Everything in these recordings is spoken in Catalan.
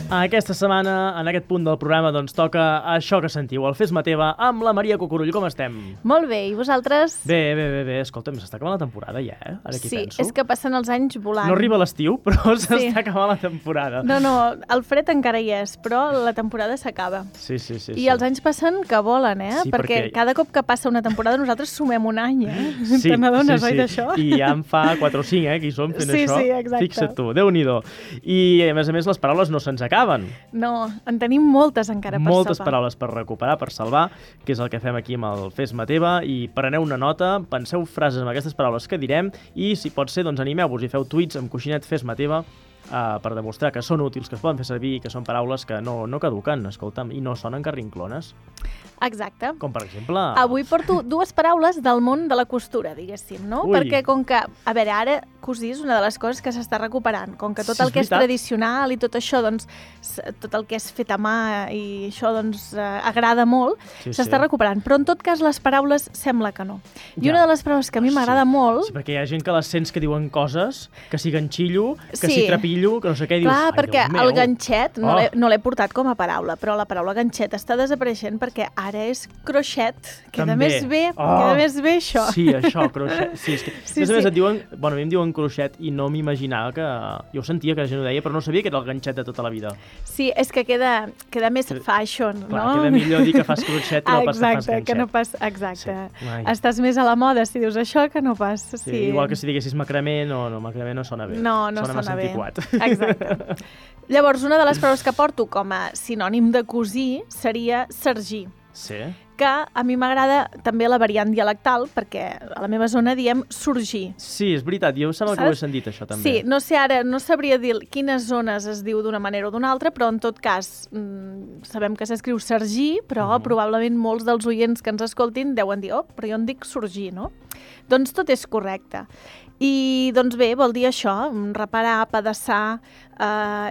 Aquesta setmana, en aquest punt del programa, doncs toca això que sentiu, el Fes-me teva, amb la Maria Cucurull. Com estem? Molt bé, i vosaltres? Bé. Escolta'm, s'està acabant la temporada ja, Ara aquí penso. Sí, és que passen els anys volant. No arriba l'estiu, però s'està acabant la temporada. No, el fred encara hi és, però la temporada s'acaba. Sí. I els anys passen que volen, Sí, perquè cada cop que passa una temporada nosaltres sumem un any, Sí, Te n'adones, oi, d'això? I ja en fa 4 o 5, que hi som fent això. Sí, exacte. Fixa't tu, Déu-n'hi-do. I, a més, les paraules no se'ns acaben. No, en tenim moltes encara per salvar. Moltes paraules per recuperar, per salvar, que és el que fem aquí amb el Fes-me teva, i preneu una nota, penseu frases amb aquestes paraules que direm, i si pot ser, doncs animeu-vos i feu tuits amb coixinet Fes-me teva per demostrar que són útils, que es poden fer servir i que són paraules que no caduquen, escolta'm, i no sonen carrinclones. Exacte. Com per exemple... Avui porto 2 paraules del món de la costura, diguéssim, no? Ui. Perquè com que, a veure, ara cosir és una de les coses que s'està recuperant. Com que tot Sí, el que és veritat. tradicional i tot això, doncs, tot el que és fet a mà i això, doncs, agrada molt, s'està recuperant. Però en tot cas les paraules sembla que no. I una de les paraules que a mi m'agrada molt... Sí, perquè hi ha gent que les sents que diuen coses, que si ganxillo, que si trepillo, que no sé què, dius... Clar, perquè el ganxet no l'he portat com a paraula, però la paraula ganxet està desapareixent perquè ara és croixet. Queda més bé això. Sí, això, croixet. Sí, és que, a més et diuen... Bueno, a mi em diuen croixet i no m'imaginava que... Jo sentia que la gent ho deia, però no sabia que era el ganxet de tota la vida. Sí, és que queda més fashion, no? Clar, queda millor dir que fas croixet que no pas que fas ganxet. Que no pas... Exacte. Sí. Estàs més a la moda si dius això que no pas. Sí. Igual que si diguessis macramé, macramé no sona bé. No sona bé. Antiquat. Exacte. Llavors, una de les paraules que porto com a sinònim de cosir seria sergir. Sí. Que a mi m'agrada també la variant dialectal, perquè a la meva zona diem sorgir. Sí, és veritat, jo sembla que ho he sentit, això, també. Sí, no sé ara, no sabria dir quines zones es diu d'una manera o d'una altra, però en tot cas sabem que s'escriu sergir, però probablement molts dels oients que ens escoltin deuen dir, però jo en dic sorgir, no? Doncs tot és correcte. I, doncs bé, vol dir això, reparar, pedaçar,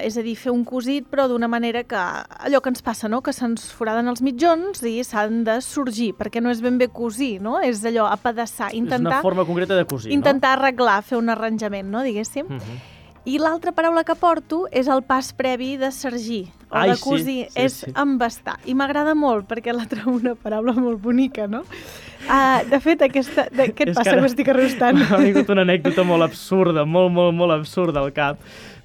és a dir, fer un cosit, però d'una manera que allò que ens passa, no?, que se'ns foraden els mitjons i s'han de sorgir, perquè no és ben bé cosir, no? És allò, apedaçar, intentar... És una forma concreta de cosir, intentar arreglar, fer un arranjament, no?, diguéssim. I l'altra paraula que porto és el pas previ de sergir, o de cosir, és embastar. I m'agrada molt, perquè la trobo una paraula molt bonica, no? De fet, què et passa que estic arrostant? M'ha vingut una anècdota molt absurda, molt absurda al cap.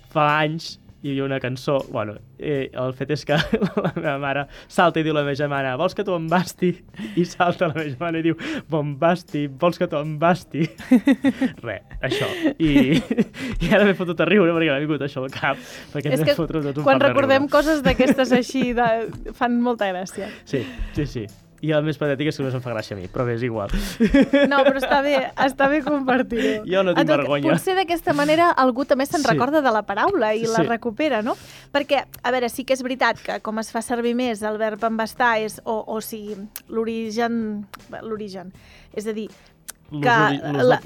Fa anys hi havia una cançó, bueno, el fet és que la meva mare salta i diu a la meva germana, vols que t'ho embasti? I salta la meva germana i diu, bombasti, vols que t'ho embasti? Això. I ara m'he fotut a riure perquè m'ha vingut això al cap. És que quan recordem coses d'aquestes així fan molta gràcia. Sí. I el més patètic és que només em fa gràcia a mi, però bé, és igual. No, però està bé compartir-ho. Jo no tinc vergonya. Potser d'aquesta manera algú també se'n recorda de la paraula i la recupera, no? Perquè, a veure, sí que és veritat que com es fa servir més el verb embastar és, o sigui, l'origen, és a dir, que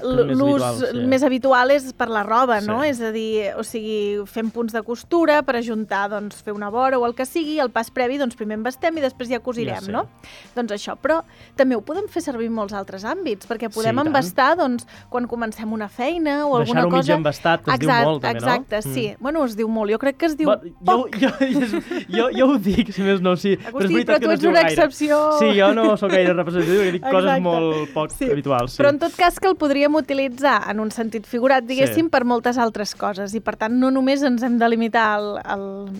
l'ús més habitual és per la roba, no? És a dir, o sigui, fem punts de costura per ajuntar, doncs, fer una vora o el que sigui, el pas previ, doncs, primer embastem i després ja cosirem, no? Doncs això, però també ho podem fer servir en molts altres àmbits, perquè podem embastar, doncs, quan comencem una feina o alguna cosa... Deixar-ho mig embastat, que es diu molt, també, no? Exacte, sí. Bueno, es diu molt, jo crec que es diu poc. Jo ho dic, si més no, sí. Agustí, però tu ets una excepció. Sí, jo no soc gaire representatiu, perquè dic coses molt poc habituals, sí. Però en tot cas que el podríem utilitzar en un sentit figurat, diguéssim, per moltes altres coses. I, per tant, no només ens hem de limitar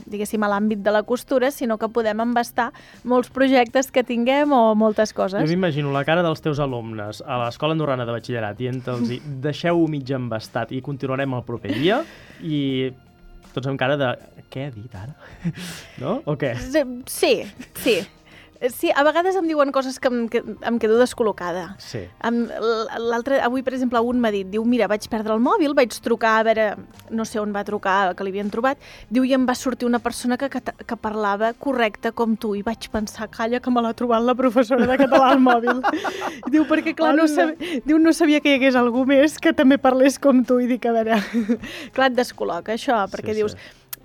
diguéssim, a l'àmbit de la costura, sinó que podem embastar molts projectes que tinguem o moltes coses. Jo m'imagino la cara dels teus alumnes a l'Escola Andorrana de Batxillerat dient-los, deixeu-ho mig embastat i continuarem el proper dia, i tots amb cara de, què he dit ara? No? O què? Sí. Sí, a vegades em diuen coses que em quedo descol·locada. Sí. Avui, per exemple, un m'ha dit, diu, mira, vaig perdre el mòbil, vaig trucar, a veure, no sé on va trucar, que l'havien trobat, diu, i em va sortir una persona que parlava correcte com tu, i vaig pensar, calla, que me l'ha trobat la professora de català al mòbil. Diu, perquè, clar, no sabia que hi hagués algú més que també parlés com tu, i dic, a veure, clar, et descol·loca això, perquè dius...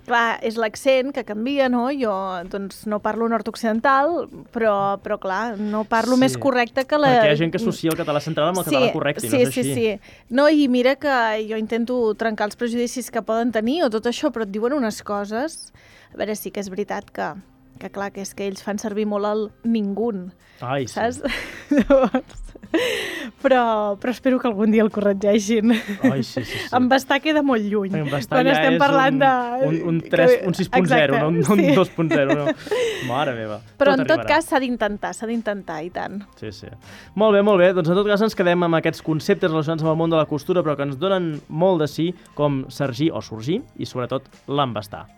clar, és l'accent que canvia, no? Jo doncs, no parlo nord-occidental, però clar, no parlo més correcte que la... Perquè hi ha gent que associa el català central amb el català correcte, i no és així. Sí. No, i mira que jo intento trencar els prejudicis que poden tenir o tot això, però et diuen unes coses... A veure, sí que és veritat que clar, que és que ells fan servir molt el ningun. Ai, sí. Saps? Llavors... Però espero que algun dia el corregeixin. Ai, sí. Embastar queda molt lluny. Embastar ja estem parlant un 6.0, no un 2.0. No. Mare meva. Però en tot cas s'ha d'intentar, i tant. Sí. Molt bé. Doncs en tot cas ens quedem amb aquests conceptes relacionats amb el món de la costura, però que ens donen molt de sí, com sergir o sorgir, i sobretot l'embastar.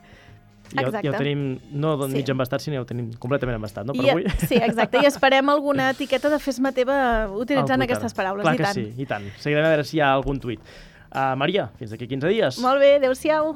Ja ho tenim, no mig embastat, sinó ja ho tenim completament embastat, no, per avui? Sí, exacte, i esperem alguna etiqueta de fes-me teva utilitzant aquestes paraules, clar que sí, i tant. Seguirem a veure si hi ha algun tuit. Maria, fins d'aquí 15 dies. Molt bé, adéu-siau.